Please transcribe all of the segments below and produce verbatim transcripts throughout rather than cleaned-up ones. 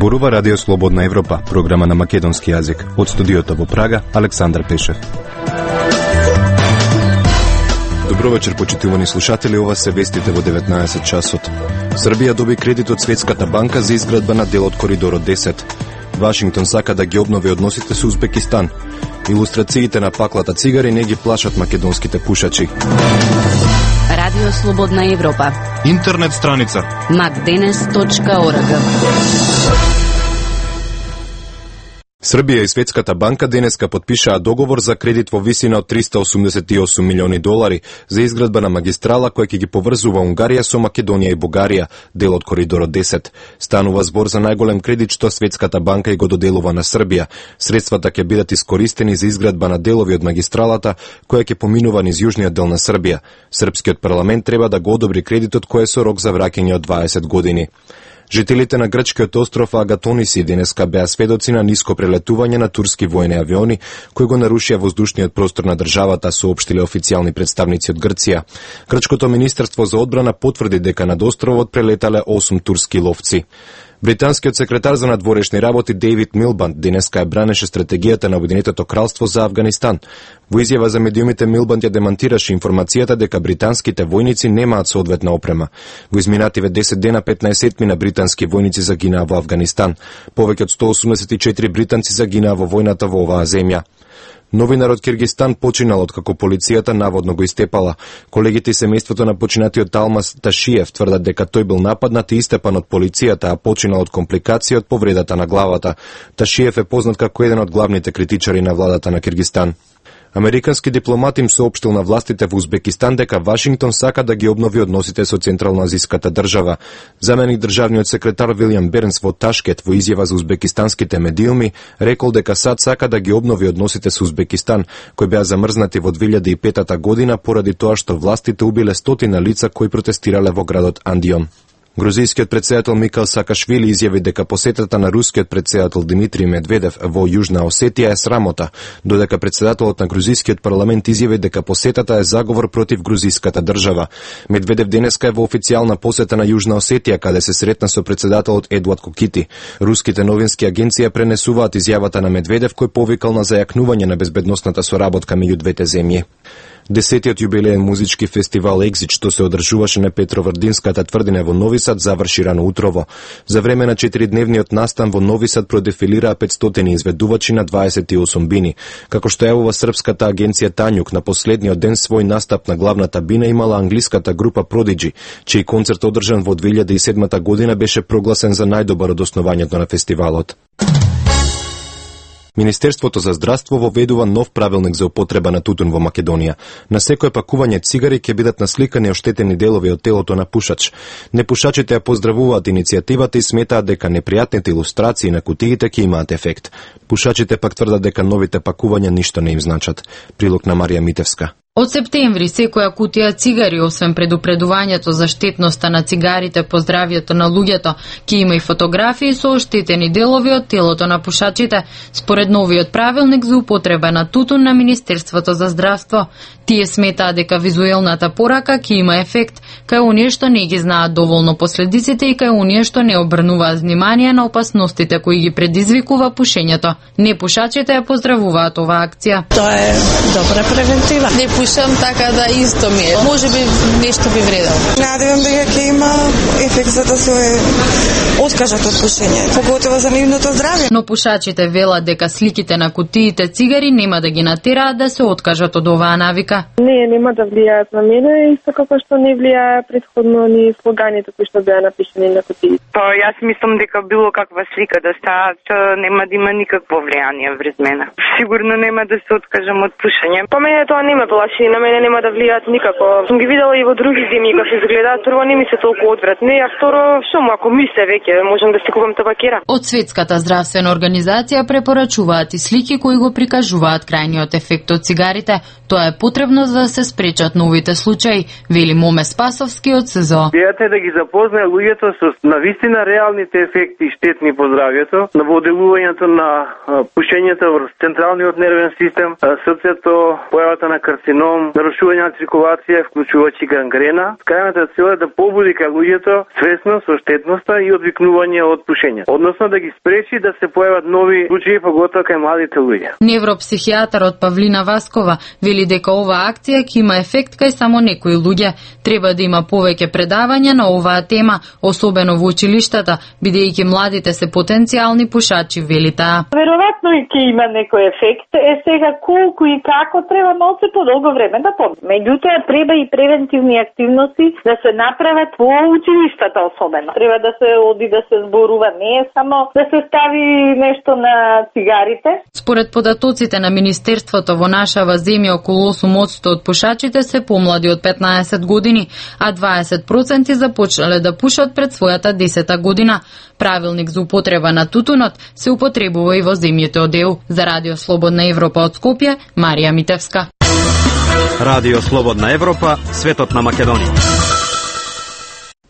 Зборува Радио Слободна Европа, програма на македонски јазик. Од студиото во Прага, Александар Пешев. Добро вечер, почитувани слушатели, ова се вестите во деветнаесет часот. Србија доби кредит од Светската банка за изградба на дел од Коридорот десет. Вашингтон сака да ги обнови односите со Узбекистан. Илустрациите на паклата цигари не ги плашат македонските пушачи. Радио Слободна Европа. Интернет страница макденес точка орг. Србија и Светската банка денеска потпишаа договор за кредит во висина од триста осумдесет и осум милиони долари за изградба на магистрала која ќе ги поврзува Унгарија со Македонија и Бугарија, дел од Коридорот десет. Станува збор за најголем кредит што Светската банка и го доделува на Србија. Средствата ќе бидат искористени за изградба на делови од магистралата која ќе поминува низ јужниот дел на Србија. Српскиот парламент треба да го одобри кредитот кој е со рок за враќање од дваесет години. Жителите на грчкиот остров Агатониси денеска беа сведоци на ниско прелетување на турски војни авиони кои го нарушија воздушниот простор на државата, соопштиле официјални представници од Грција. Грчкото министерство за одбрана потврди дека над островот прелетале осум турски ловци. Британскиот секретар за надворешни работи Дейвид Милбанд денеска ја бранеше стратегијата на Обединетото кралство за Авганистан. Во изјава за медиумите Милбанд ја демантираше информацијата дека британските војници немаат соодветна опрема. Во изминативе десет дена петнаесет мина британски војници загинаа во Авганистан. Повеќе од сто осумдесет и четири британци загинаа во војната во оваа земја. Новинар од Киргистан починал откако полицијата наводно го истепала. Колегите и семејството на починатиот Талмас Ташиев тврдат дека тој бил нападнат и истепан од полицијата, а починал од компликација од повредата на главата. Ташиев е познат како еден од главните критичари на владата на Киргистан. Американски дипломат им соопштил на властите во Узбекистан дека Вашингтон сака да ги обнови односите со Централноазиската држава. Заменик државниот секретар Вилјам Бернс во Ташкент во изјава за узбекистанските медиуми рекол дека САД сака да ги обнови односите со Узбекистан, кои беа замрзнати во две илјади и петта година поради тоа што властите убиле стотина лица кои протестирале во градот Андион. Грузискиот претседател Микал Саакашвили изјави дека посетата на рускиот претседател Димитри Медведев во Јужна Осетија е срамота, додека претседателот на грузискиот парламент изјави дека посетата е заговор против грузиската држава. Медведев денеска е во официјална посета на Јужна Осетија, каде се сретна со претседателот Едуард Кокити. Руските новински агенции пренесуваат изјавата на Медведев кој повикал на зајакнување на безбедносната соработка меѓу двете земји. Десетиот јубилеен музички фестивал Екзит, што се одржуваше на Петровардинската тврдина во Нови Сад, заврши рано утрово. За време на четиридневниот настан во Нови Сад продефилираа петстотини изведувачи на дваесет и осум бини. Како што јавува српската агенција Тањук, на последниот ден свој настап на главната бина имала англиската група Prodigy, чиј концерт одржан во две илјади и седма година беше прогласен за најдобар од основањето на фестивалот. Министерството за здравство воведува нов правилник за употреба на тутун во Македонија. На секое пакување цигари ќе бидат насликани оштетени делови од телото на пушач. Непушачите ја поздравуваат иницијативата и сметаат дека непријатните илустрации на кутиите ќе имаат ефект. Пушачите пак тврдат дека новите пакувања ништо не им значат. Прилог на Марија Митевска. Од септември секоја кутија цигари, освен предупредувањето за штетноста на цигарите по здравјето на луѓето, ќе има и фотографии со оштетени делови од телото на пушачите, според новиот правилник за употреба на тутун на Министерството за здравство. Тие сметаат дека визуелната порака ќе има ефект кај оние што не ги знаат доволно последиците и кај оние што не обрнуваат внимание на опасностите кои ги предизвикува пушењето. Непушачите ја поздравуваат оваа акција. Тоа е добра превентива. Не пушам, така да исто ми е. Може би нешто би вредел. Надевам дека ќе има ефект за да се откажат од пушење, поготово за нивното здравје. Но пушачите велат дека сликите на кутиите цигари нема да ги натераат да се откажат од оваа навика. Не, нема да влијаат на мене, исто како што не влијае предходно ни слоганите кои што беа напишани на кутиите. Па јас мислам дека било каква слика да стават, нема да има никакво влијание врз мене. Сигурно нема да се откажам од пушење. По мене тоа нема плаши, на мене нема да влијаат никако. Сум ги видела и во други земји како изгледаат, прво не ми се толку одвратни, а второ што му ако мисле веќе можам да си купам табакера. Од Светската здравствена организација препорачуваат и слики кои го прикажуваат крајниот ефект од цигарите. Тоа е потребно за да се спречат новите случаи, вели Моме Спасовски од СЗО. Идејата е да ги запознае луѓето со навистина реалните ефекти штетни по здравјето, на воделувањето на пушењето врз централниот нервен систем, срцето, појавата на карцином, нарушување на циркулација, вклучувачи гангрена. Крајната цел е да побуди кај луѓето свесност со штетноста и одвикнување починување од пушење, односно да ги спречи да се појават нови случаи, поготоа кај младите луѓе. Невропсихијатарот Павлина Васкова вели дека оваа акција ќе има ефект кај само некои луѓе. Треба да има повеќе предавања на оваа тема, особено во училиштата, бидејќи младите се потенцијални пушачи, вели таа. Веројатно и ќе има некој ефект. Е сега колку и како треба малку подолго време да помне. Меѓутоа треба и превентивни активности да се направат во училиштата особено. Треба да се оди да се зборува, не е само да се стави нешто на цигарите. Според податоците на Министерството, во нашава земја околу осум одсто од пушачите се помлади од петнаесет години, а дваесет проценти започнале да пушат пред својата десета година. Правилник за употреба на тутунот се употребува и во земјите од Е У. За Радио Слободна Европа од Скопје, Марија Митевска. Радио Слободна Европа, светот на Македонија.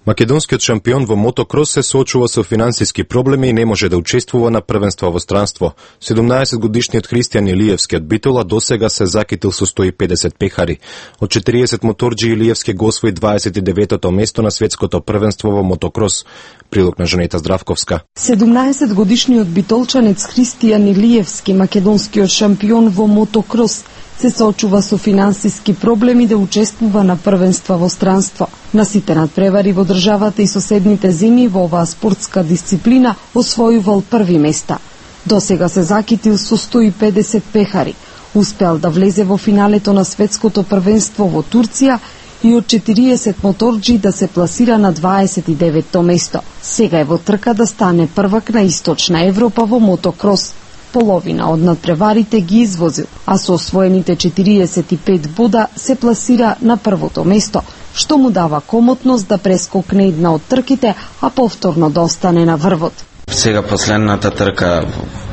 Македонскиот шампион во мотокрос се соочува со финансиски проблеми и не може да учествува на првенства во странство. седумнаесетгодишниот Христијан Илиевски од Битола досега се закитил со сто и педесет пехари. Од четириесет моторџи Илиевски го освои дваесет и деветото место на светското првенство во мотокрос. Прилог на Жанета Здравковска. седумнаесетгодишниот битолчанец Христијан Илиевски, македонскиот шампион во мотокрос, се соочува со финансиски проблеми да учествува на првенства во странство. На сите надпревари во државата и соседните земји во оваа спортска дисциплина освојувал први места. Досега се закитил со сто и педесет пехари. Успеал да влезе во финалето на светското првенство во Турција и од четириесет моторџи да се пласира на дваесет и деветто место. Сега е во трка да стане првак на Источна Европа во мотокрос. Половина од надпреварите ги извозил, а со освоените четириесет и пет бода се пласира на првото место, што му дава комотност да прескокне една од трките, а повторно да остане на врвот. Сега последната трка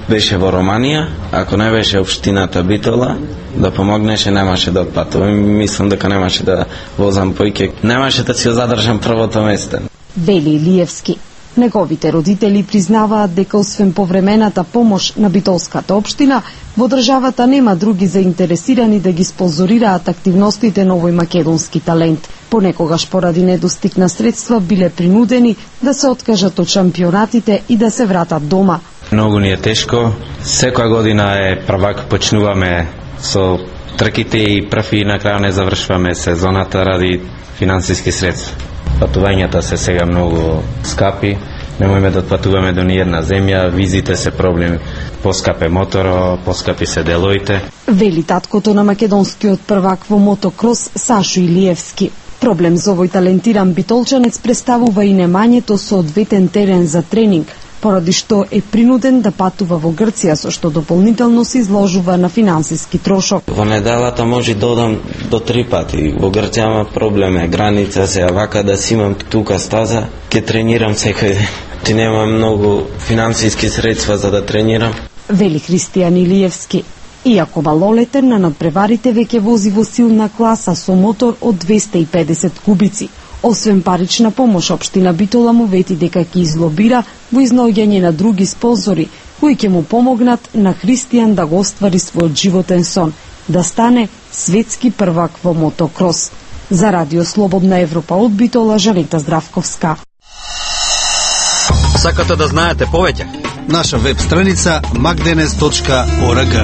беше во Романија, ако не беше општината Битола, да помогнеше, немаше да отпатувам. Мислам дека немаше да возам поиќе, немаше да си задржам првото место. Вели Илиевски. Неговите родители признаваат дека освен повремената помош на битолската општина, во државата нема други заинтересирани да ги спонзорираат активностите на овој македонски талент. Понекогаш поради недостиг на средства биле принудени да се откажат од шампионатите и да се вратат дома. Многу ни е тешко. Секоја година е првак, почнуваме со трките и први на крај не завршуваме сезоната ради финансиски средства. Патувањата се сега многу скапи, немојме да отпатуваме до ниједна земја, визите се проблем, поскапе моторо, поскапи се делоите. Вели таткото на македонскиот првак во мотокрос Сашо Илиевски. Проблем за овој талентиран битолчанец представува и немањето соодветен терен за тренинг, поради што е принуден да патува во Грција, со што дополнително се изложува на финансиски трошок. Во неделата може да одам до три пати. Во Грција има проблеме, граница се, вака да си имам тука стаза, ќе тренирам секој ден. Ти нема многу финансиски средства за да тренирам. Вели Христијан Илиевски. Иако малолетен, на надпреварите веќе вози во силна класа со мотор од двесте и педесет кубици. Освен парична помош, општина Битола му вети дека ќе излобира во изнаоѓање на други спонзори, кои ќе му помогнат на Христијан да го оствари својот животен сон, да стане светски првак во мотокрос. За Радио Слободна Европа од Битола, Жанета Здравковска. Сакате да знаете повеќе? Наша веб страница макденес точка орг.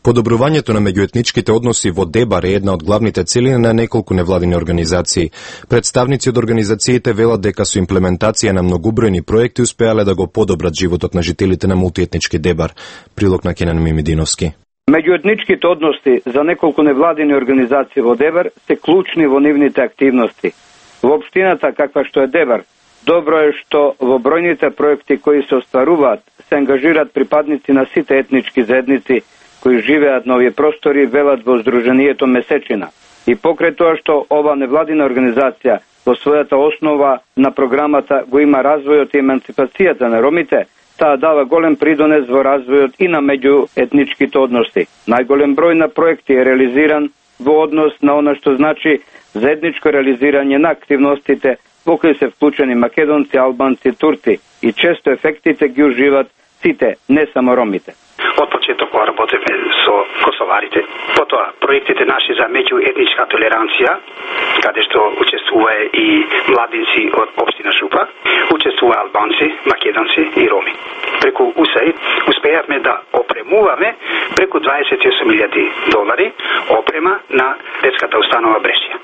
Подобрувањето на меѓуетничките односи во Дебар е една од главните цели на неколку невладини организации. Представници од организациите велат дека со имплементација на многубројни проекти успеале да го подобрат животот на жителите на мултиетнички Дебар. Прилог на Кенан Мимидиновски. Меѓуетничките односи за неколку невладини организации во Дебар се клучни во нивните активности. Во општината каква што е Дебар, добро е што во бројните проекти кои се остваруваат се ангажираат припадници на сите етнички заедници кои живеат на овие простори, велат во Сдруженијето Месечина. И покрај тоа што ова невладина организација во својата основа на програмата го има развојот и емансипацијата на ромите, таа дава голем придонес во развојот и на меѓуетничките односи. Најголем број на проекти е реализиран во однос на она што значи заедничко реализирање на активностите во кои се вклучени македонци, албанци, турци и често ефектите ги уживат сите, не само ромите. Од почеток работевме со косоварите, потоа проектите наши за меѓуетничка толеранција, каде што учествува и младинци од општина Шупа, учествува албанци, македонци и роми. Преку У С А И успеавме да опремуваме преку дваесет и осум илјади долари опрема на детската установа Брешија.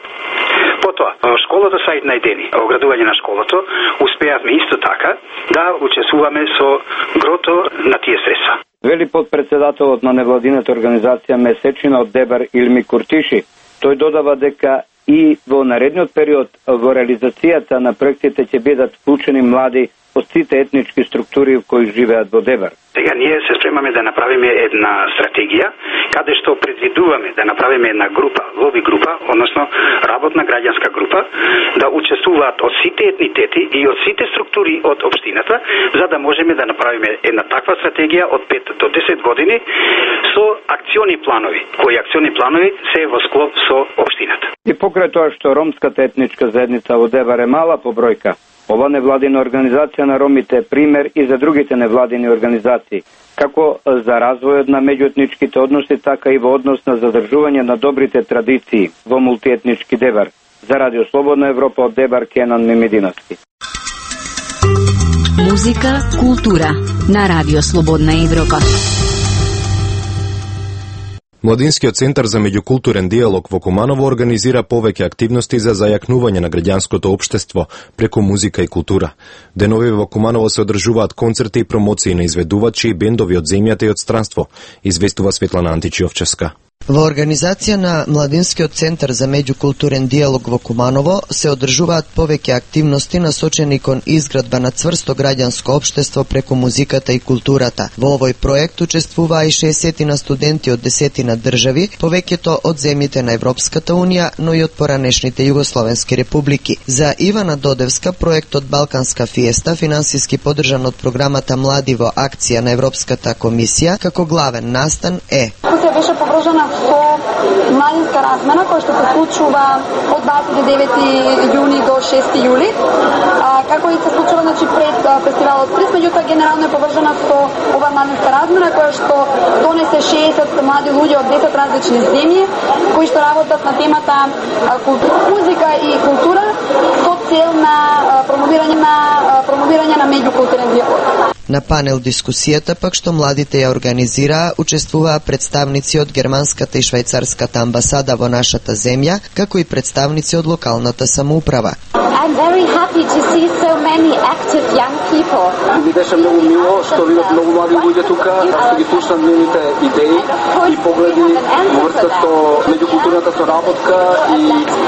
Потоа, школата Саид Најдени, оградување на школото, успеавме исто така да учествуваме со грото на тие средства. Вели подпредседателот на невладината организација Месечина од Дебар Илми Куртиши. Тој додава дека и во наредниот период во реализацијата на проектите ќе бидат вклучени млади од сите етнички структури кои живеат во Дебар. Сега ние се спремаме да направиме една стратегија каде што предвидуваме да направиме една група, лоби група, односно работна граѓанска група, да учествуваат од сите етнитети и од сите структури од општината, за да можеме да направиме една таква стратегија од пет до десет години со акциони планови, кои акциони планови се во склоп со општината. И покрај тоа што ромската етничка заедница во Дебар е мала по бројка, ова невладина организација на ромите е пример и за другите невладини организации, како за развојот на меѓуетничките односи, така и во однос на задржување на добрите традиции во мултиетнички Дебар. За Радио Слободна Европа од Дебар, Кенан Мемединовски. Музика, култура на Радио Слободна Европа. Младинскиот центар за меѓукултурен диалог во Куманово организира повеќе активности за зајакнување на граѓанското општество преку музика и култура. Денови во Куманово се одржуваат концерти и промоции на изведувачи и бендови од земјата и од странство, известува Светлана Античиовчевска. Во организација на Младинскиот центар за меѓукултурен диалог во Куманово се одржуваат повеќе активности насочени кон изградба на цврсто граѓанско општество преку музиката и културата. Во овој проект учествуваа и шеесет на студенти од десетина држави, повеќето од земјите на Европската унија, но и од поранешните југословенски републики. За Ивана Додевска, проектот Балканска фиеста, финансиски поддржан од програмата Млади во акција на Европската комисија, како главен настан е: беше погрожена со младинска размена која што се случува од дваесет и девети јуни до шести јули, а, како и се случува значи пред а, фестивалот Стрис, меѓутоа генерално е поврзана со ова младинска размена која што донесе шеесет млади луѓе од десет различни земји кои што работат на темата а, култура, музика и култура со цел на а, промовирање на а, промовирање на меѓукултурен диалог. На панел дискусијата пак што младите ја организираа, учествуваа представници од германската и швајцарската амбасада во нашата земја, како и представници од локалната самоуправа. I'm very happy to see so many active young people. Ми беше многу мило што видов многу млади луѓе тука, што ги слушнам нивните идеи и погледи во врска со меѓукултурната соработка и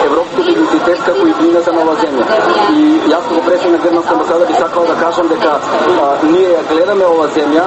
европскиот идентитет како и идејата на оваа земја. И јас како председник на германска амбасада би сакал да кажам дека а, ние ја гледаме оваа земја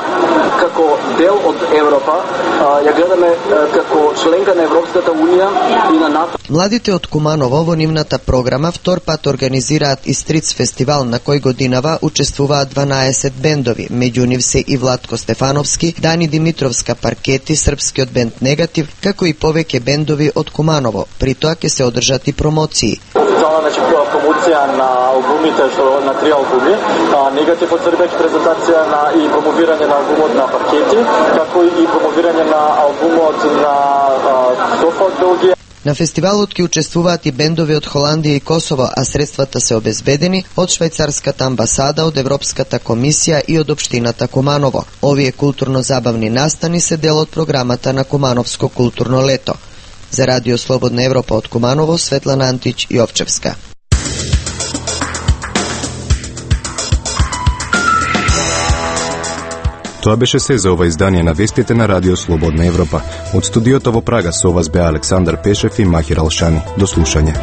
како дел од Европа, а, ја гледаме а, како членка на Европската унија и на НАТО. Младите од Куманово во нивната програма втор пат организираат и Стриц фестивал на кој годинава учествуваат дванаесет бендови, меѓу нив се и Владко Стефановски, Дани Димитровска Паркети, српскиот бенд Негатив, како и повеќе бендови од Куманово. При тоа ќе се одржат и промоции. Цела значи промоција на албумите што на три албуми, а, Негатив од Србија, презентација на и промовирање на албумот на Паркети, како и промовирање на албумот на Софа од Белгија. На фестивалот ќе учествуваат и бендови од Холандија и Косово, а средствата се обезбедени од швајцарската амбасада, од Европската комисија и од општината Куманово. Овие културно-забавни настани се дел од програмата на Кумановско културно лето. За Радио Слободна Европа од Куманово, Светлана Антич Јовчевска. Тоа беше се за ова издание на вестите на Радио Слободна Европа. Од студиото во Прага со вас беа Александар Пешев и Махир Алшани. До слушање.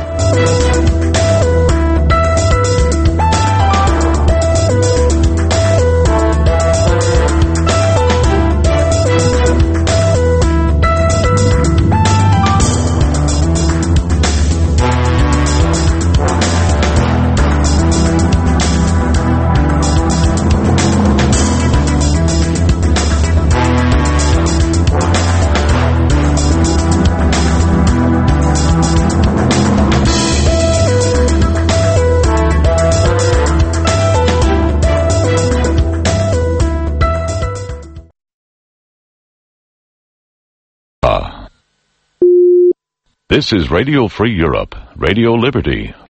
This is Radio Free Europe, Radio Liberty.